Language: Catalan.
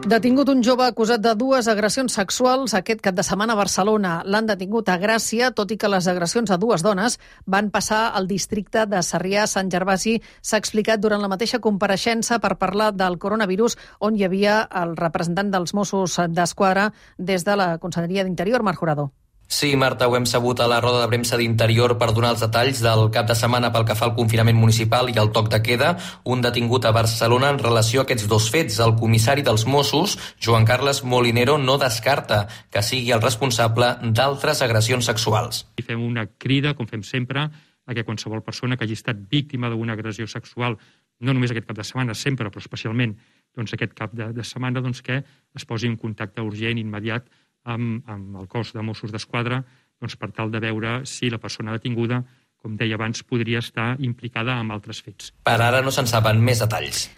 Detingut un jove acusat de 2 agressions sexuals aquest cap de setmana a Barcelona. L'han detingut a Gràcia, tot i que les agressions a 2 dones van passar al districte de Sarrià-Sant Gervasi. S'ha explicat durant la mateixa compareixença per parlar del coronavirus, on hi havia el representant dels Mossos d'Esquadra des de la Conselleria d'Interior, Marc Jurado. Sí, Marta, ho hem sabut a la roda de premsa d'Interior per donar els detalls del cap de setmana pel que fa al confinament municipal i al toc de queda. Un detingut a Barcelona en relació a aquests 2 fets. El comissari dels Mossos, Joan Carles Molinero, no descarta que sigui el responsable d'altres agressions sexuals. I fem una crida, com fem sempre, a que qualsevol persona que hagi estat víctima d'una agressió sexual, no només aquest cap de setmana, sempre, però especialment aquest cap de setmana, que es posi en contacte urgent, immediat, amb el cos de Mossos d'Esquadra per tal de veure si la persona detinguda, com deia abans, podria estar implicada en altres fets. Per ara no se'n saben més detalls.